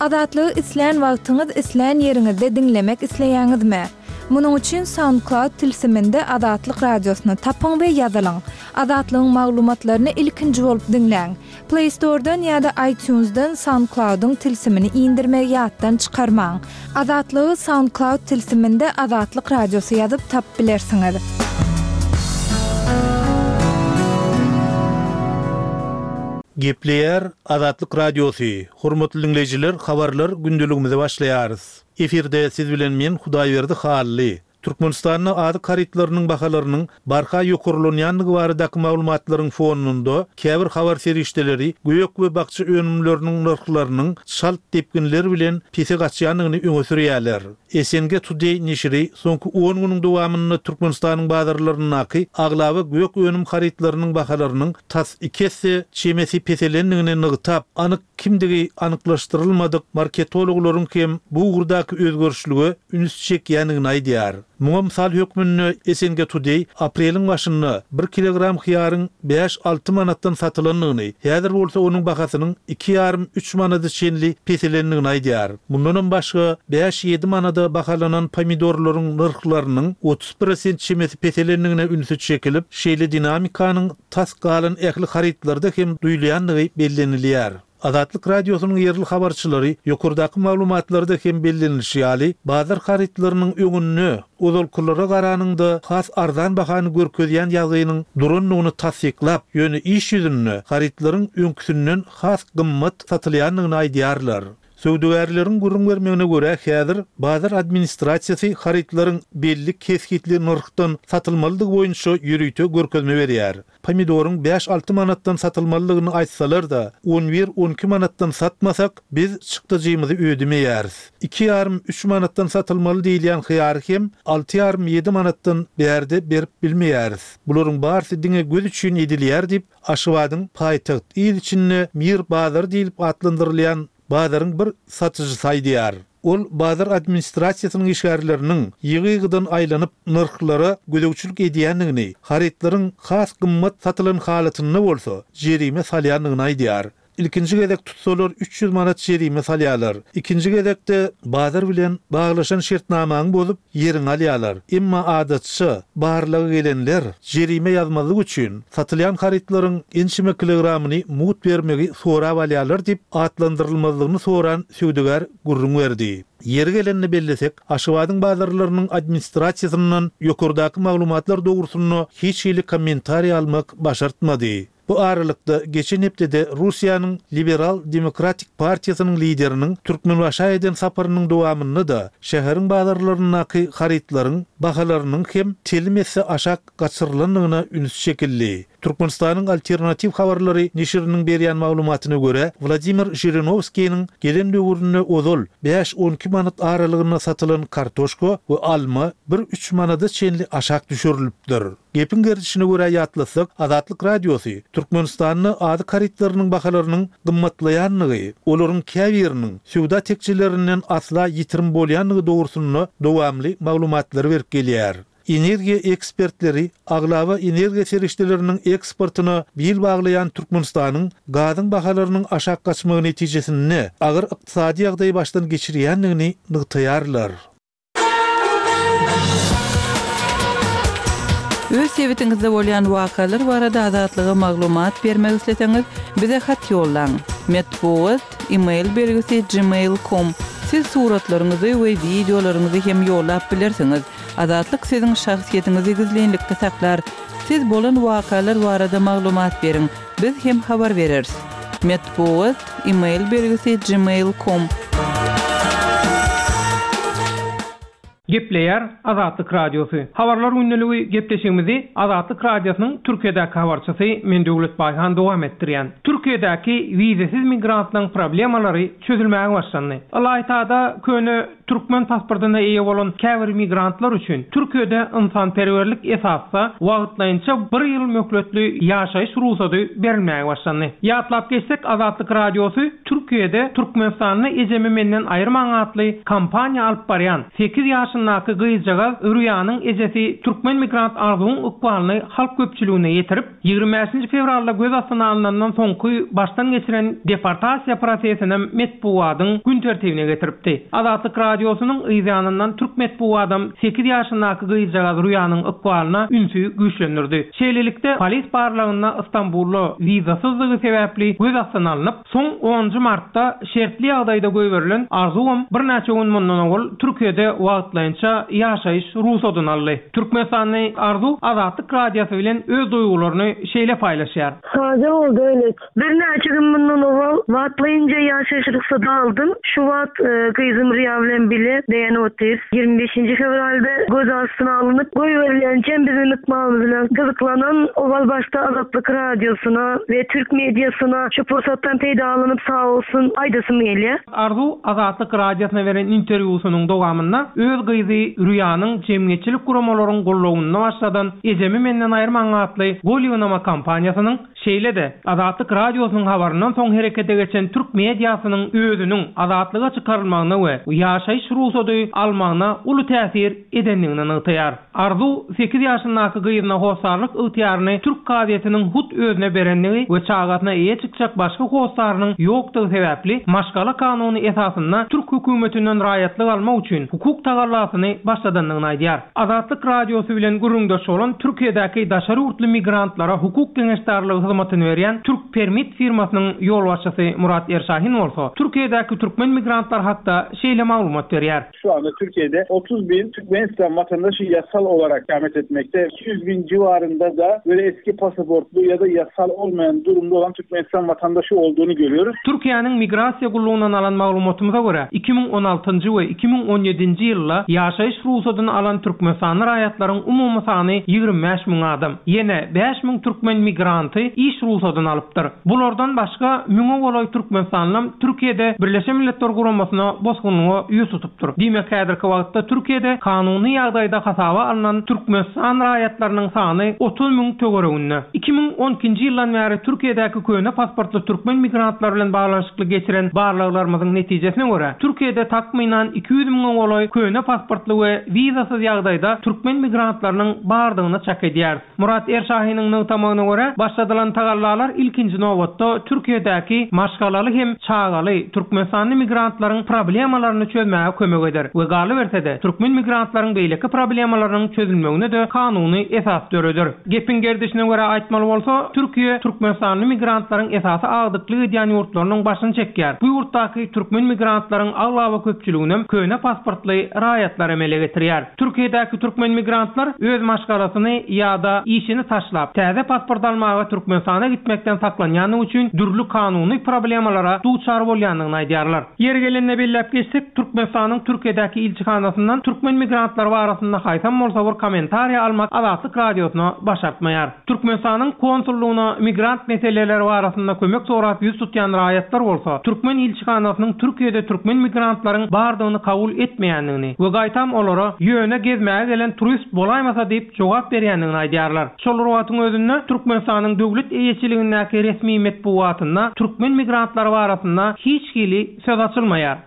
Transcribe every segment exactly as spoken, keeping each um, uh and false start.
Azatlygy islän wagtyňyz, islän ýeriňizde diňlemek isleýäňizmi? Munuň üçin SoundCloud tilsiminde Azatlyk radiosyny tapyň we ýazylyň. Azatlygyň maglumatlaryny ilkinji bolup diňläň. Play Store'dan ýa-da iTunes'dan SoundCloud'yň tilsimini indirmegi ýatdan çykarmaň. Azatlygy SoundCloud tilsiminde Azatlyk radiosy ýazyp tapyp bilersiňiz. Gepleýär Azatlyk Radiosy. Hormatly dinleýjiler, habarlar gündeligimize başlaýarys. Efirde siz bilen men Hudaýberdi Hally. Türkmenistanda azyk harytlarynyň bahalarynyň barha ýokarlanýandygy baradaky maglumatlaryň fonunda käbir habar serişdeleri gök we bakja önümleriniň nyrhlarynyň çalt depginler bilen pese gaçýandygyny öňe sürýärler. S N G Today neşiri soňky on günüň dowamynda Türkmenistanyň bazarlaryndaky aglaba gök önüm harytlarynyň bahalarynyň tas iki esse çemesi peselendigini nygtap, anyk kimdigi anyklaşdyrylmadyk marketologlaryň hem bu ugurdaky özgerişlige üns çekýändigini aýdýar. Muňa mysal hökmünde S N G Today apreliň başynda bir kilogram hyýaryň bäş-alty manatdan satylandygyny, häzir bolsa onuň bahasynyň iki ýarym üç manada çenli peselendigini aýdýar. Mundanam başga bäş-ýedi manada bahalanan pomidorlaryň nyrhlarynyň otuz prosent çemesi peselendigine ünsi çekilip, şeýle dinamikanyň tas galan ähli harytlarda hem duýulýandygy bellenilýär. Azatlyk radiosynyň ýerli habarçylary ýokardaky maglumatlarda hem bellenilişi ýaly, bazar harytlarynyň öňünde ozalkylara garanyňda has arzan bahany görkezýän ýagdaýynyň durandygyny tassyklap, ýöne iş ýüzünde harytlaryň öňküsinden has gymmat satylýandygyny aýdýarlar. Söwdagärleriň gürrüň bermegine görä, häzir bazar administrasiýasy harytlaryň belli kesgitli nyrhdan satylmalydygy boýunça ýörite görkezme berýär. Pomidoryň bäş-alty manatdan satylmalydygyny aýtsalar-da, on bir-on iki manatdan satmasak, biz çykdajymyzy ödemeýäris. Iki ýarym üç manatdan satylmaly diýilýän hyýary hem alty ýarym ýedi manatdan bärde berip bilmeýäris. Bularyň barysy diňe göz üçin edilýär diýip, Aşgabadyň paýtagt il içinde Mir bazary diýilip atlandyrylýan bazaryň bir satyjysy aýdýar. Ol bazar administrasiýasynyň işgärleriniň ýygy-ýygydan aýlanyp nyrhlara gözegçilik edýändigini, harytlaryň has gymmat satylan halatynda bolsa jerime salýandygyny aýdýar. Ilkinji gezek tutsalar üç ýüz manat jerime salýarlar. Ikinji gezekde bazar bilen baglaşan şertnamany bozup ýeriňi alýarlar. Emma adatça barlaga gelenler jerime ýazmazlyk üçin satylýan harytlaryň ençeme kilogramyny mugt bermegi sorap alýarlar diýip atlandyrylmazlygyny soran söwdagär gürrüň berdi. Ýeri gelende bellesek, Aşgabadyň bazarlarynyň administrasiýasyndan ýokardaky maglumatlar dogrusynda hiç hili kommentariý almak başartmady. Bu aralykda geçen hepdede Russiýanyň Liberal Demokratik Partiýasynyň lideriniň Türkmenbaşa eden saparynyň dowamynda da şäheriň bazarlaryndaky harytlaryň bahalarynyň hem telim esse aşak gaçyrylandygyna üns çekildi. Türkmenistanyň alternatiw habarlary neşiriniň berýän maglumatyna görä, Wladimir Žirinowskiniň gelen döwründe ozal bäş-on iki manat aralygynda satylan kartoşka we alma bir üç manada çenli aşak düşürilipdir. Gepiň gerdişine görä ýatlasak, Azatlyk radiosy Türkmenistanda azyk harytlarynyň bahalarynyň gymmatlaýandygy, olaryň käbiriniň söwda tekjelerinden asla ýitirim bolýandygy dogrusynda dowamly maglumatlary berip gelýär. Energiýa ekspertleri aglaba energiýa serişdeleriniň eksportuna bil baglaýan Türkmenistanyň gazyň bahalarynyň aşak gaçmagy netijesinde agyr ykdysady ýagdaýy başdan geçirýändigini nygtaýarlar. Öz sebitiňizde bolýan wakalar barada Azatlyga maglumat bermek isleseňiz, bize hat ýollaň. Metbugat, e-mail belgisi gmail nokta com. Siz suratlaryňyzy we wideolaryňyzy hem ýollap bilersiňiz. Azatlyk siziň şahsyýetiňizi gizlinlikde saklar. Siz bolan wakalar barada maglumat beriň. Biz hem habar bereris. Metbugat, e-mail belgisi gmail nokta com. Gepleýär Azatlyk Radiosy. Habarlar gündeligi gepleşigimizi Azatlyk Radiosynyň Türkiýedäki habarçysy Men Döwlet Baýhan dowam etdirýän. Türkiýedäki wizesiz migrantlaryň problemalary çözülmäge başlandy. Ylaýtada köne türkmen pasportuna eýe bolan käbir migrantlar üçin Türkiýede ynsanperwerlik esasda wagtlaýynça bir ýyl möhletli ýaşaýyş rugsady berilmäge başlandy. Ýatlap geçsek, Azatlyk Radiosy Türk Türkiýede Türkmenistanda Ejemi menden aýyrmaň atly kampaniýa alyp barýan sekiz ýaşyndaky gyzjagaz Rüýanyň ejesi türkmen migrant Arzuwyň ykbalyny halk köpçüligine ýetirip, ýigrimi bäşinji fewralda göz astyna alnandan soňky başdan geçiren deportasiýa prosesinem metbugatyň gün tertibine getiripdi. Azatlyk Radiosynyň yz ýanyndan türk metbugadam sekiz ýaşyndaky gyzjagaz Rüýanyň ykbalyna ünsi güýçlendirdi. Şeýlelikde, polis barlagynda Istanbulda wizasyzlygy sebäpli göz astyna alnyp, soň onunjy martda şertli ýagdaýda goýberilen Arzuwam birnäçe gün mundan owal Türkiýede wagtlaýynça ýaşaýyş rugsadyny aldy. Türkmenistanly Arzuw Azatlyk Radiosy bilen öz duýgularyny şeýle paýlaşýar. Sada boldy öýle. Birnäçe gün mundan owal wagtlaýynça ýaşaýyş rugsady aldym. Şu wagt, e, gyzym Rüýa bilen bile beýan otyrys. Ýigrimi beşinji fewralda göz astyna alnyp goýberilençem biziň ykbalymyz bilen gyzyklanan owal başda Azatlyk Radiosyna we türk mediasyna şu pursatdan peýdalanyp sag bolsun aýdasym gelýär. Arzuw Azatlyk Radiosyna beren interwýusynyň dowamynda öz gyzy Rüýanyň jemgyýetçilik guramalaryň gollawynda başladan Ejemi menden aýyrmaň atly gol ýygnama kampaniýasynyň, şeýle-de Azatlyk Radiosynyň habaryndan soň herekete geçen türk mediasynyň özüniň azatlyga çykarylmagyna we ýaşaýyş rugsady almagyna uly täsir edendigini nygtaýar. Arzuw sekiz ýaşyndaky gyzyna hossarlyk ygtyýaryny türk kazyýetiniň hut özüne berendigi we çagasyna eýe çykjak başga hossarynyň ýokdugy sebäpli maşgala kanuny esasynda türk hökümetinden raýatlyk almak üçin hukuk tagallasyny başladandygyny aýdýar. Azatlyk Radiosy bilen gürrüňdeş bolan Türkiýedäki daşary ýurtly migrantlara hukuk geňeşdarlygy hyzmatyny berýän Türk Permit firmasynyň ýolbaşçysy Murat Erşahin bolsa Türkiýedäki türkmen migrantlar hakda şeýle maglumat berýär. Şu anda Türkiye'de otuz bin Türkmenistan vatandaşı yasal olarak ikamet etmekte. iki yüz bin civarında da böyle eski pasaportlu ya da yasal olmayan durumda olan Türkmenistan vatandaşı olduğunu görüyoruz. Türkiye'nin migrasiýa gullugyndan alan maglumatymyza görä iki müň on altynjy we iki müň on ýedinji ýylda ýaşaýyş rugsadyny alan Türkmenistanly raýatlaryň umumy sany ýigrimi bäş müň adam. Ýene bäş müň türkmen migranty iş rugsadyny alypdyr. Bulardan başga müňe golaý Türkmenistanlym Türkiýede Birleşen Milletler Guramasyna bosgunlyga ýüz tutupdyr. Diýmek, häzirki wagtda Türkiýede kanuny ýagdaýda hasaba alnan Türkmenistan raýatlarynyň sany otuz müň töwereginde. Iki müň on ikinji ýyldan bäri Türkiýedäki köne pasportly türkmen migrantlar bilen baglanyşykly geçiren barlaglarymyzyň netijesine görä Türkiýede takmynan iki ýüz müňe golaý köne pasportly we wizasyz ýagdaýda türkmen migrantlarynyň bardygyny çak edýär. Murat Erşahiniň nygtamagyna görä başladylan tagallalar ilkinji nobatda Türkiýedäki maşgalaly hem çagaly Türkmenistanly migrantlaryň problemalaryny çözmäge kömek eder we galyberse-de türkmen migrantlaryň beýleki problemalarynyň çözülmegine de kanuny esas döreder. Gepiň gerdişine görä aýtmaly bolsa, Türkiýe Türkmenistanly migrantlaryň esasy agdyklyk edýän ýurtlarynyň başyny çekýär. Bu ýurtdaky türkmen migrantlaryň aglaba köpçüliginem köne pasportly raýatlar emele getirýär. Türkiýedäki türkmen migrantlar öz maşgalasyny ýa-da işini taşlap, täze pasport almaga Türkmenistana gitmekden saklanýandygy üçin dürli kanuny problemalara duçar bolýandygyny aýdýarlar. Ýeri gelende belläp geçsek, Türkmenistanyň Türkiýedäki ilçihanasyndan türkmen migrantlary barasynda haýsam bolsa bir kommentariýa almak Azatlyk Radiosyna başartmaýar. Türkmenistanyň konsullygyna migrant meseleleri barasynda kömek sorap ýüz tutýan raýatlar bolsa, türkmen ilçihanasynyň Türkiýede türkmen migrantlaryň bardygyny kabul etmeýändigini we gaýtam olara ýöne gezmäge gelen turist bolaýmasa diýip jogap berýändigini aýdýarlar. Şol wagtyň özünde Türkmenistanyň döwlet eýeçiligindäki resmi metbugatynda türkmen migrantlary barasynda hiç hili söz açylmaýar.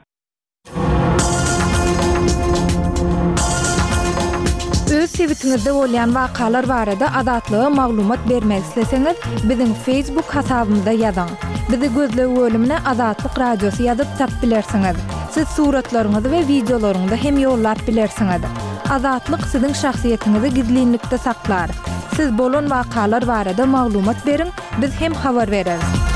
Öz sebitiňizde bolýan wakalar barada Azatlyga maglumat bermek isleseňiz, biziň Facebook hasabymyzda ýazyň. Bizi gözleg bölümine Azatlyk Radiosy ýazyp tap bilersiňiz. Siz suratlaryňyzy we wideolaryňyzy hem ýollap bilersiňiz. Azatlyk siziň şahsyýetiňizi gizlinlikde saklar. Siz bolan wakalar barada maglumat beriň, biz hem habar bereris.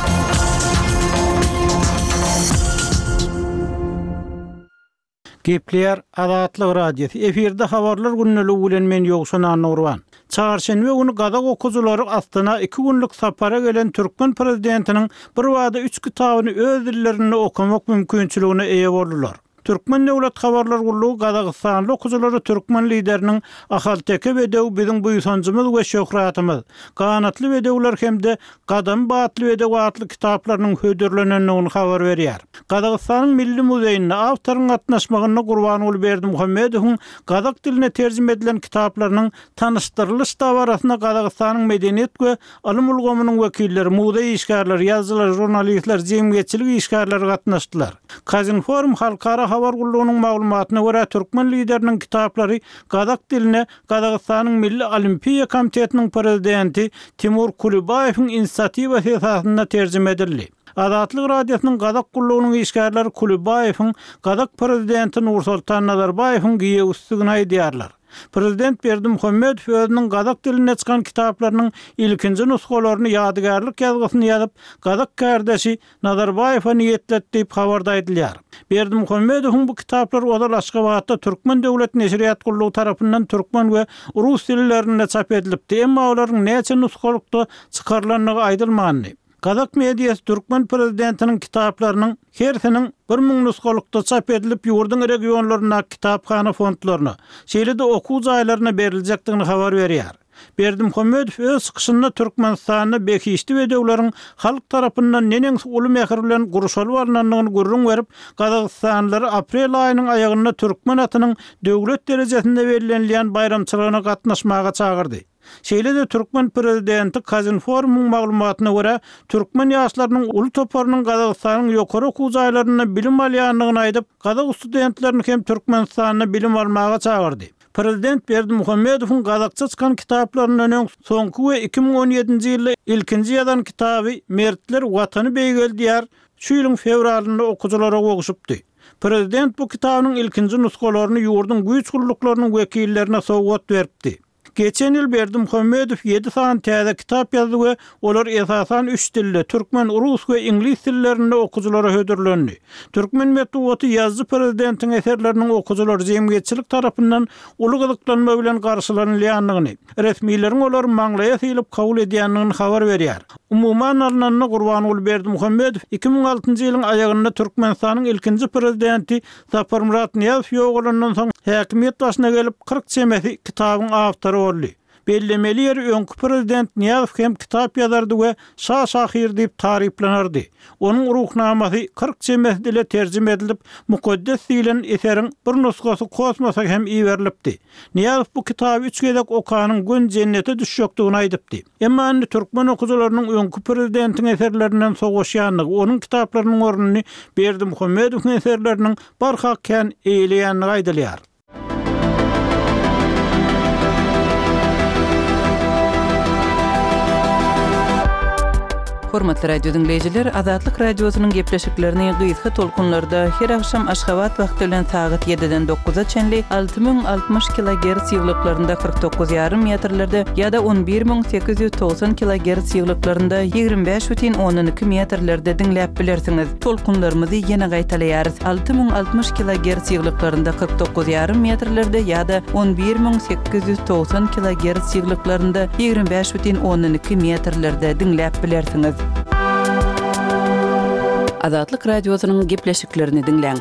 Gepler Azatlyk Radiosy efirde habarlar günlügi bilen men Ýowşan Annurban. Çarşenbe günü gazak okujulary Astana iki günlük sapara gelen türkmen prezidentiniň bir wada üç kitabyny öz dillerinde okamak mümkinçiligine eýe boldular. Türkmen döwlet habarlar gullugy Gazagystanly okyjylary türkmen lideriniň Ahalteke bedewi biziň buýsanjymyz we şöhratymyz, Ganatly bedewler hem-de Gadamy batly bedew atly kitaplarynyň hödürlenendigini habar berýär. Gazagystanyň Milli muzeýinde awtoryň gatnaşmagynda Gurbanguly Berdimuhamedowyň gazak diline terjime edilen kitaplarynyň tanyşdyrylyş dabarasyna Gazagystanyň medeniýet we ylym ulgamynyň wekilleri, muzeý işgärleri, ýazyjylar, žurnalistler, jemgyýetçilik işgärleri gatnaşdylar. Kazinform halkara habar gullugynyň maglumatyna görä, türkmen lideriniň kitaplary gazak diline Gazagystanyň Milli Olimpiýa komitetiniň prezidenti Timur Kulibaýewiň inisiatiwasy esasynda terjime edildi. Azatlyk Radiosynyň gazak gullugynyň işgärleri Kulibaýewiň gazak prezidenti Nursultan Nazarbaýewiň giýewisidigini aýdýarlar. Prezident Berdimuhamedow özüniň gazak dilinde çykan kitaplarynyň ilkinji nusgalaryny ýadygärlik ýazgysyny ýazyp, gazak kärdeşi Nazarbaýewe niýetledi diýip habarda aýdylýar. Berdimuhamedowyň bu kitaplary ozal Aşgabatda Türkmen döwlet neşirýat gullugy tarapyndan türkmen we rus dillerinde çap edilipdi, emma olaryň näçe nusgalykda çykarylandygy aýdylmandy. Gazak mediasy türkmen prezidentiniň kitaplarynyň hersiniň bir müň nusgalykda çap edilip, ýurduň regionlaryndaky kitaphana fondlaryna, şeýle-de okuw jaýlaryna beriljekdigini habar berýär. Berdimuhamedow öz çykyşynda Türkmenistanda behişdi bedewleriň halk tarapyndan neneňsi uly mähir bilen gurşalyp alnandygyny gürrüň berip, gazagystanlylary aprel aýynyň aýagynda türkmen atynyň döwlet derejesinde bellenilýän baýramçylygyna gatnaşmaga çagyrdy. Şeýle-de türkmen prezidenti Kazinformyň maglumatyna görä, türkmen ýaşlarynyň uly toparynyň Gazagystanyň ýokary okuw jaýlarynda bilim alýandygyny aýdyp, gazak studentlerini hem Türkmenistanda bilim almaga çagyrdy. Prezident Berdimuhamedowyň gazakça çykan kitaplaryndan öň soňky we iki müň on ýedinji ýylda ilkinji ýazan kitaby Mertler Watany beýgeldýär şu ýylyň fewralynda okyjylara gowşupdy. Prezident bu kitabynyň ilkinji nusgalaryny ýurduň güýç gulluklarynyň wekillerine sowgat beripdi. Geçen ýyl Berdimuhamedow ýedi sany täze kitap ýazdy we olar esasan üç dilde, türkmen, rus we iňlis dillerinde okyjylara hödürlendi. Türkmen metbugaty ýazyjy prezidentiň eserleriniň okyjylar jemgyýetçilik tarapyndan uly gyzyklanma bilen garşylanylýandygyny, resmileriň olary maňlaýa sylyp kabul edýändigini habar berýär. Umuman alnanda Gurbanguly Berdimuhamedow iki müň altynjy ýylyň aýagynda Türkmenistanyň ilkinji prezidenti Saparmyrat Nyýazow ýogalandan soň häkimiýet başyna gelip kyrk çemesi kitabyň awtory boldy. Bellemeli ýeri öňki prezident Nyýazow hem kitap ýazardy we şa şahyr diýip taryplanardy. Onuň ruhnamasy kyrk çemesi dile terjime edilip, mukaddes diýlen eseriň bir nusgasy kosmosa hem iberilipdi. Nyýazow bu kitaby üç gezek okanyň gün jennete düşjekdigini aýdypdy. Emma indi türkmen okyjylarynyň öňki prezidentiň eserlerinden sowaşýandygy, onuň kitaplarynyň ornuny Berdimuhamedowyň eserleriniň barha kän eýeleýändigi aýdylýar. Hormatly radio dinleýjiler, Azatlyk radiosynyň gepleşiklerini gysga tolkunlarda her akşam Aşgabat wagty bilen sagat ýediden dokuza çenli alty müň altmyş kilogertz ýyglyklarynda kyrk dokuz ýarym metrlerde ýa-da on bir müň sekiz ýüz togsan kilogertz ýyglyklarynda ýigrimi bäş bütin ondan iki metrlerde diňläp bilersiňiz. Tolkunlarymyzy ýene gaýtalaýarys. Alty müň altmyş kilogertz ýyglyklarynda kyrk dokuz ýarym metrlerde ýa-da on bir müň sekiz ýüz togsan kilogertz ýyglyklarynda ýigrimi bäş bütin ondan iki metrlerde diňläp bilersiňiz. Azatlyk radiosynyň gepleşiklerini diňläň.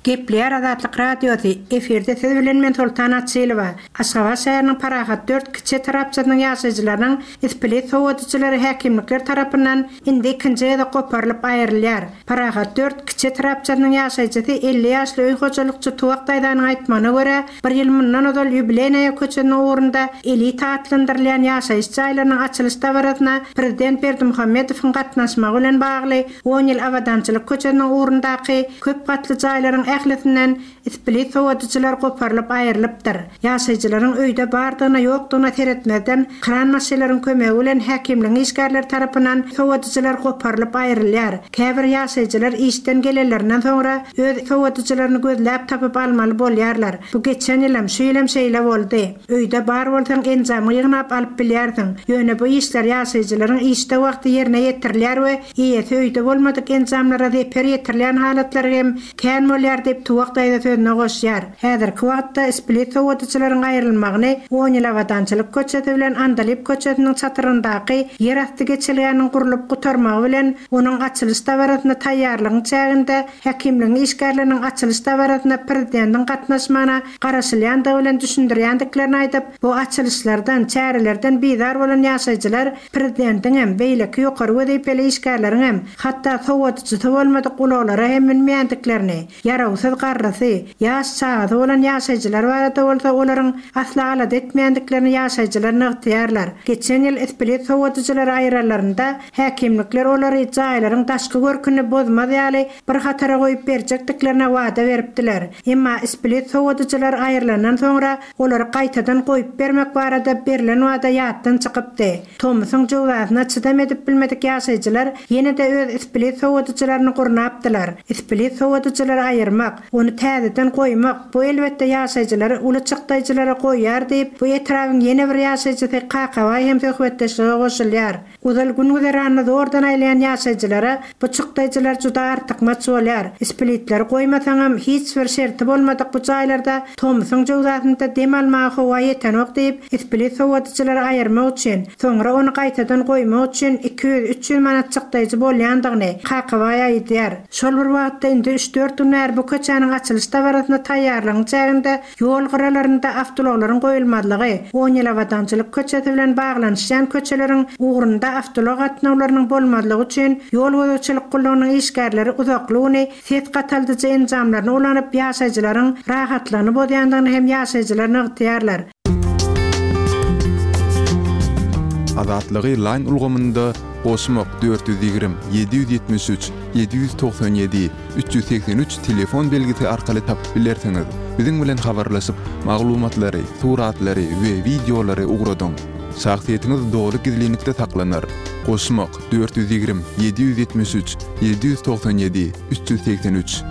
Gepleýär Azatlyk radiosy. Efirde siz bilen men Sultan Açylowa. Aşgabat şäheriniň Parahat dört kiçi etrapçasynyň ýaşaýjylarynyň isplit sowadyjylary häkimlikler tarapyndan indi ikinji gezek goparylyp aýrylýar. Parahat dört kiçi etrapçasynyň ýaşaýjysy elli ýaşly öý hojalykçy Tuwak daýzanyň aýtmagyna görä, bir ýyl mundan ozal Ýubileýnaýa köçesiniň ugrunda elita atlandyrylýan ýaşaýyş jaýlarynyň açylyş dabarasyna prezident Berdimuhamedowyň gatnaşmagy bilen bagly on ýyl Abadançylyk köçesiniň ugrundaky köp gatly jaýlaryň ählisinden isplit sowadyjylar goparylyp aýrylypdyr. Ýaşaýjylaryň öýde bardygyna ýokdugyna seretmezden kran maşynlaryň kömegi bilen häkimligiň işgärleri tarapyndan sowadyjylar goparylyp aýrylýar. Käbir ýaşaýjylar işden gelenlerinden soňra öz sowadyjylaryny gözläp tapyp almaly bolýarlar. Bu geçen ýylam, şu ýylam şeýle boldy. Öýde bar bolsaň enjamy ýygnap alyp bilýärsiň. Ýöne bu işler ýaşaýjylaryň işde wagty ýerine ýetirilýär we eýesi öýde bolmadyk enjamlara zeper ýetirilýän halatlary hem kän bolýar bolýar diýip Tuwak daýza sözüne goşýar. Häzirki wagtda split sowadyjylaryň aýrylmagyny on ýyl Abadançylyk köçesi bilen Andalyp köçesiniň çatyryndaky ýerasty geçelgäniň gurlup gutarmagy bilen onuň açylyş dabarasyna taýýarlygyň çäginde häkimligiň işgärleriniň açylyş dabarasyna prezidentiň gatnaşmagyna garaşylýandygy bilen düşündirýändiklerini aýdyp, bu açylyşlardan, çärelerden bizar bolan ýaşaýjylar prezidentiň hem beýleki ýokary wezipeli işgärleriň hem hatda sowadyjysy bolmadyk ulaglara hem münmeýändiklerini, ýarawsyz garrysy, ýaş çagasy bolan ýaşaýjylar barada bolsa olaryň asla alada etmeýändiklerini ýaşaýjylar nygtaýarlar. Geçen ýyl split sowadyjylary aýyranlarynda häkimlikler olary jaýlaryň daşky görküni bozmaz ýaly bir hatara goýup berjekdiklerine wada beripdiler. Emma split sowadyjylar aýrylandan soňra olary gaýtadan goýup bermek barada berlen wada ýatdan çykypdy. Tomusyň jöwzasyna çydam edip bilmedik ýaşaýjylar ýene-de öz split sowadyjylaryny gurnapdylar. Split sowadyjylary aýyrmak, ony täzeden goýmak bu elbetde ýaşaýjylary uly çykdaýjylara goýýar diýip, bu etrabyň ýene bir ýaşaýjysy Kakabaý hem söhbetdeşlige goşulýar. Uzal gün güzeranyny zordan aýlaýan ýaşaýjylara bu çykdaýjylar juda artykmaç bolýar. Splitleri goýmasaňam hiç bir şerti bolmadyk bu jaýlarda tomusyň jöwzasynda dem almaga howa ýetenok diýip, split sowadyjylary aýyrmak üçin, soňra ony gaýtadan goýmak üçin iki ýüz üç ýüz manat çykdaýjy bolýandygyny Kakabaý aýdýar. Şol bir wagtda indi üç dört gün bäri bu köçäniň açylyş dabarasyna taýýarlygyň çäginde ýol gyralarynda awtoulaglaryň goýulmazlygy, on ýyl Abadançylyk köçesi bilen baglanyşýan köçeleriň ugrunda awtoulag gatnawlarynyň bolmazlygy üçin ýol gözegçilik gullugynyň işgärleri uzakly güni ses gataldyjy enjamlaryny ulanyp ýaşaýjylaryň rahatlygyny bozýandygyny hem ýaşaýjylar nygtaýarlar. Azatlygy line ulgamynda goşmak dört ýüz ýigrimi, ýedi ýüz ýetmiş üç, ýedi ýüz togsan ýedi, üç ýüz segsen üç telefon belgisi arkaly tapyp bilersiňiz. Biziň bilen habarlaşyp, maglumatlary, suratlary we wideolary ugradyň. Şahsyýetiňiz doly gizlinlikde saklanar. Goşmak dört ýüz ýigrimi, ýedi ýüz ýetmiş üç, ýedi ýüz togsan ýedi, üç ýüz segsen üç.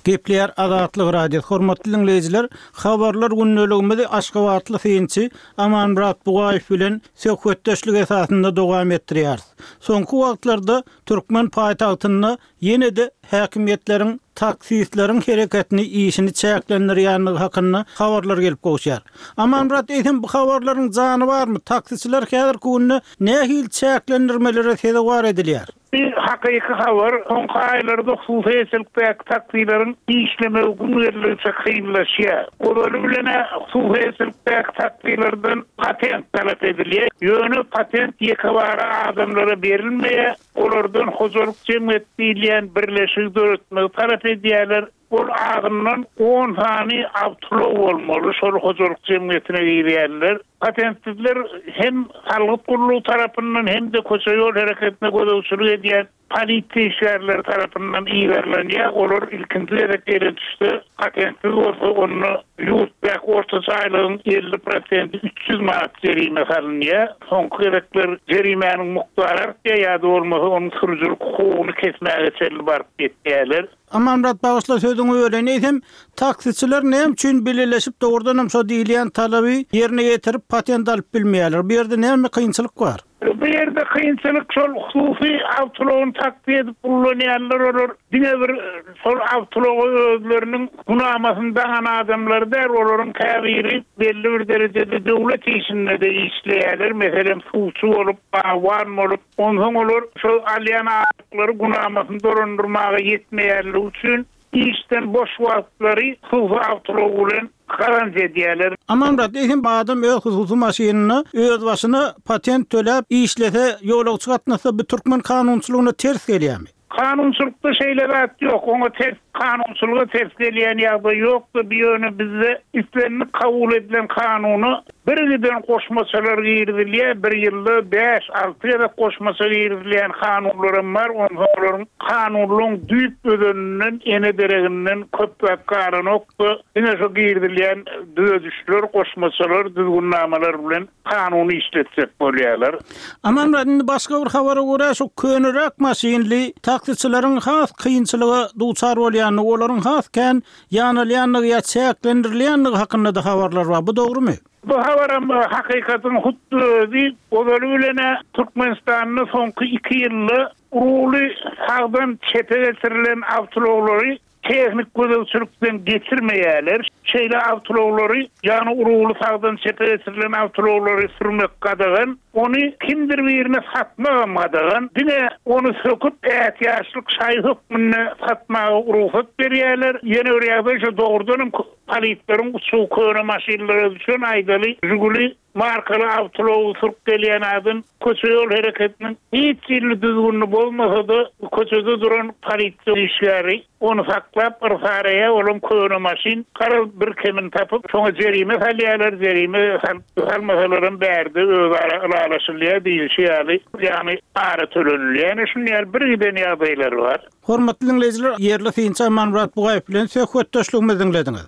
Gepleýär Azatlyk Radiosy. Hormatly dinleýjiler, habarlar gündeligimizi Aşgabatly synçy Amanmyrat Bugaýew bilen söhbetdeşlik esasynda dowam etdirýäris. Soňky wagtlarda türkmen paýtagtynda ýene-de häkimiýetleriň taksistleriň hereketini işini çäklendirýänligi hakynda habarlar gelip gowuşýar. Amanmyrat, eýsem bu habarlaryň jany barmy? Taksiçiler häzirki günde nähili çäklendirmelere sezewar edilýär? Bir hakyky habar, soňky aýlarda hususyýetçilikdäki taksileriň işlemegi gün geldikçe kynlaşýar. Ozaly bilen hususyýetçilikdäki taksilerden patent talap edilýär. Ýöne patent ýekebara adamlara berilmeýär. Olardan hojalyk jemgyýet diýilýän birleşigi döretmegi talap edýärler. Ol agyndan on sany awtoulag bolmaly şol hojalyk jemgyýetine girýärler. Patentsizler hem salgyt gullugy tarapyndan hem-de köçe ýol hereketine gözegçilik edýän polisiýa işgärleri tarapyndan iberlenýär. Olar ilkinji gezek ele düşse, patentsiz bolsa onda ýurtdaky ortaça aýlygyň elli prosenti üç ýüz manat jerime salynýar. Soňky gezekler jerimäniň mukdary artýar, ýa-da bolmasa onuň sürüjilik hukugyny kesmäge çenli baryp ýetýärler. Amanmyrat, bagyşla sözüňi böleýin. Eýsem, taksiçiler näme üçin bileleşip dogrudanam şo diýilýän talaby ýerine ýetirip patent alyp bilmeýärler? Bu ýerde näme kynçylyk bar? Bu ýerde kynçylyk şol hususy awtoulagyny taksi edip ullanýanlar, olar diňe bir şol awtoulagy özleriniň günamasyny daňan adamlar däl, olaryň käbiri belli bir derejede döwlet işinde-de işleýärler. Meselem, suwçy bolup, bagban bolup, onsoň olar şol alýan aýlyklary günamasyny dolandyrmaga ýetmeýärler üçin işden boş wagtlary hususy awtoulag bilen garanti edýärler. Amanmyrat, eýsem adam öz hususy maşynyna öz başyna patent töläp işlese, ýolagçy gatnasa bu türkmen kanunçylygyna ters gelýärmi? Kanunçylykda şeýle zat ýok. Oňa ters, kanunçylyga ters gelýän ýagdaý ýokdy. Bu ýöne bizde islendik kabul edilen kanuna bir giden goşmaçalar girizilýär. Bir ýylda bäş alty gezek goşmaça girizilýän kanunlaram bar. Onsoň olaryň kanunlaryň düýp özeninden, ene dereginden köp zat galanokdy. Diňe şu girizilýän düzedişler, goşmaçalar, düzgünnamalar bilen kanuny işletjek bolýarlar. Amanmyrat, indi başga bir habara görä şu köneräk maşynly taksiçileriň has kynçylyga duçar bolýandygy, olaryň has kän ýanalýandygy ýa çäklendirilýändigi hakynda da habarlar bar. Bu dogrumy? Bu habaram hakykatyň hut özi ozaly bilen Türkmenistanda soňky iki ýylda ruly sagdan çepe getirilen awtoulaglary tehnik gözegçilikden geçirmeýärler. Şeýle awtoulaglary, ýagny ruly sagdan çepe getirilen awtoulaglary sürmek gadagan, ony kimdir birine satmagam gadagan. Diňe ony söküp ätiýaçlyk şaý hökmünde satmaga rugsat berýärler. Ýene bir ýagdaý şu dogrudanam politleriň uçuw köne maşynlara düşen aýdaly Žiguli markaly awtoulagy sürüp gelýän adam köçe ýol hereketiniň hiç ýerli düzgünini bozmasa-da köçede duran polisiýa işgäri ony saklap yrsaraýa olan köne maşyn garaz bir kemin tapyp şoňa jerime salýarlar, jerime salmasalaram bärde özara ylalaşylýar diýilişi ýaly, ýagny ara tölenilýär. Ýani şuny ýaly bir giden ýagdaýlar bar. Hormatly dinleýjiler, ýerli synçy Amanmyrat Bugaýew bilen söhbetdeşligimizi diňlediňiz.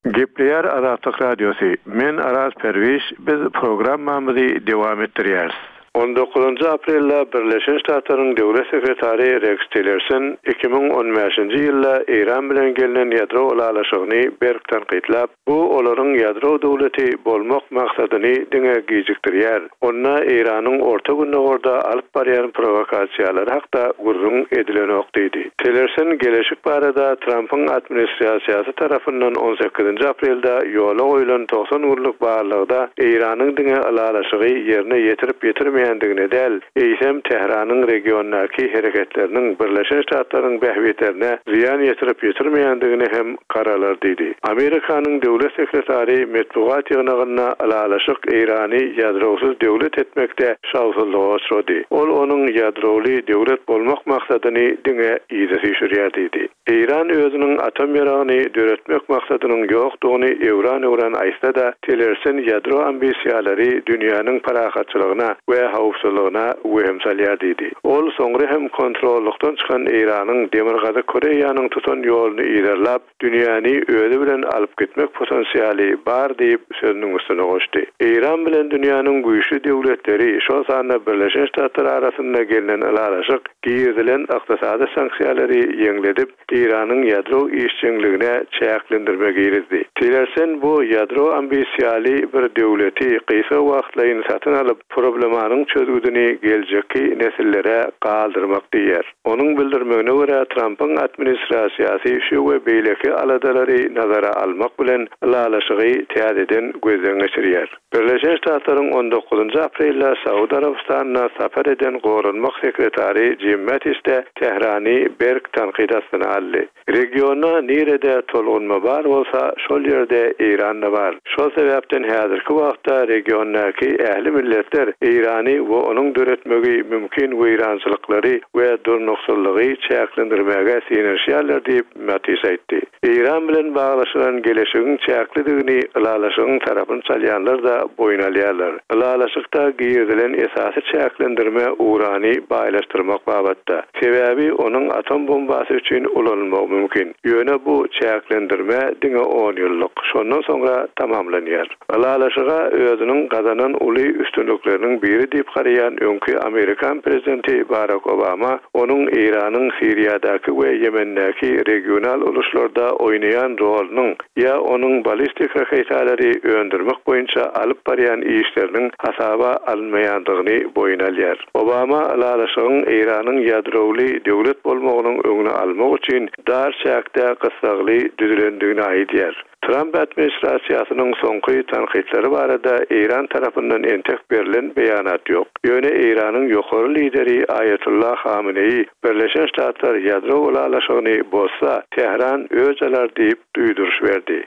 Gepleýär Azatlyk Radiosy. Men Araz Perwiş, biz programmamyzy dowam etdirýäris. On dokuzynjy aprelde Birleşen Ştatlaryň Döwlet Sekretary Rex Tillerson iki müň on bäşinji ýylda Eýran bilen gelnen ýadro ylalaşygyny berk tankytlap, bu olaryň ýadro döwleti bolmak maksadyny diňe gijikdirýär. Onda Eýranyň Orta Gündogarda alyp barýan provokasiýalary hakda gürrüň edilenok diýdi. Tillerson geleşik barada Trumpyň administrasiýasy tarapyndan on sekizinji aprelde ýola goýulan togsan günlük barlygda Eýranyň diňe ylalaşygy ýerine ýetirip ýetirmeýändigine däl, eýsem Tähranyň regiondaky hereketleriniň Birleşen Ştatlaryň bähbitlerine zyýan ýetirip ýetirmeýändigine hem garalar diýdi. Amerikanyň döwlet sekretary metbugat ýygnagynda ylalaşyk Eýrany ýadrowsyz döwlet etmekde şawsuzlyga uçrady. Ol onuň ýadrowly döwlet bolmak maksadyny diňe yza süýşürýär diýdi. Eýran özüniň atom ýaragyny döretmek maksadynyň ýokdugyny öwran-öwran aýtsa-da, Tillerson ýadro ambisiýalary dünýäniň parahatçylygyna we howpsuzlygyna wehim salýar diýdi. Ol soňra hem kontrollukdan çykan Eýranyň Demirgazyk Koreýanyň tutan ýoluny yzarlap, dünýäni özi bilen alyp gitmek potensialy bar diýip sözüniň üstüne goşdy. Eýran bilen dünýäniň güýçli döwletleri, şol sanda Birleşen Ştatlar arasynda gelnen ylalaşyk girizilen ykdysady sanksiýalary ýeňledip, Eýranyň ýadro işjeňligine çäklendirme girizdi. Tillerson bu ýadro ambisiýaly bir döwleti gysga wagtlaýyn satyn alyp, problemanyň çözgüdini geljekki nesillere galdyrmak diýer. Onuň bildirmegine görä Trumpyň administrasiýasy şu we beýleki aladalary nazara almak bilen ylalaşygy täzeden gözden geçirýär. Birleşen Ştatlaryň on dokuzynjy aprelde Saud Arabystanyna sapar eden goranmak sekretary Jim Mattis de Tährany berk tankyt astyna aldy. Regionda nirede tolgunma bar bolsa, şol ýerde Eýranda bar. Şol sebäpden häzirki wagtda regiondaky ähli milletler Eýrany we onuň döretmegi mümkin weýrançylyklary we durnuksyzlygy çäklendirmäge synanyşýarlar diýip Mattis aýtdy. Eýran bilen baglaşylan geleşigiň çäklidigini ylalaşygyň tarapyny çalýanlar da boýun alýarlar. Ylalaşykda girizilen esasy çäklendirme urany baýlaşdyrmak babatda. Sebäbi onuň atom bombasy üçin ulanylmagy mümkin. Ýöne bu çäklendirme diňe on ýyllyk. Şondan soňra tamamlanýar. Ylalaşyga özüniň gazanan uly üstünlikleriniň biri diýip garaýan öňki Amerikan prezidenti Barack Obama onuň Eýranyň Siriýadaky we Ýemendäki regional uluşlarda oýnaýan rolunyň ýa onuň ballistik raketalary öndürmek boýunça alyp barýan işleriniň hasaba alynmaýandygyny boýun alýar. Obama ylalaşygyň Eýranyň ýadrowly döwlet bolmagynyň öňüni almak üçin dar çäkde gyssagly düzülendigini aýdýar. Trump administrasiýasynyň soňky tankytlary barada Eýran tarapyndan entek berlen beýanat ýok. Ýöne Eýranyň ýokary lideri Aýatullah Hameneýi Birleşen Ştatlar ýadro ylalaşygyny bozsa, Tähran öç alar diýip duýduryş berdi.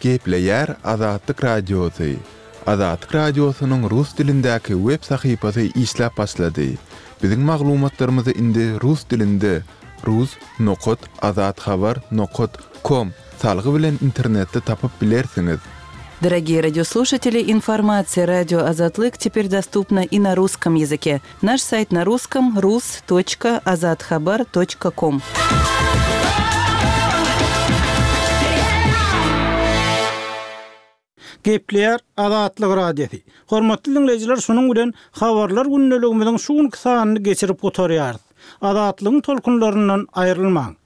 Gepleýär Azatlyk Radiosy. Azatlyk Radiosynyň rus dilindäki web sahypasy işläp başlady. Biziň maglumatlarymyzy indi rus dilinde rus nokat azathabar nokat com salgy bilen internetde tapyp bilersiňiz. Дорогие радиослушатели, информация радио Азатлык теперь доступна и на русском языке. Наш сайт на русском рус точка азатхабар точка ком. Gepleýär Azatlyk Radiosy. Hormatly dinleýjiler, şunuň bilen habarlar gündeligimiziň şu günki sanyny geçirip gutarýarys. Azatlygyň tolkunlaryndan aýrylmaň.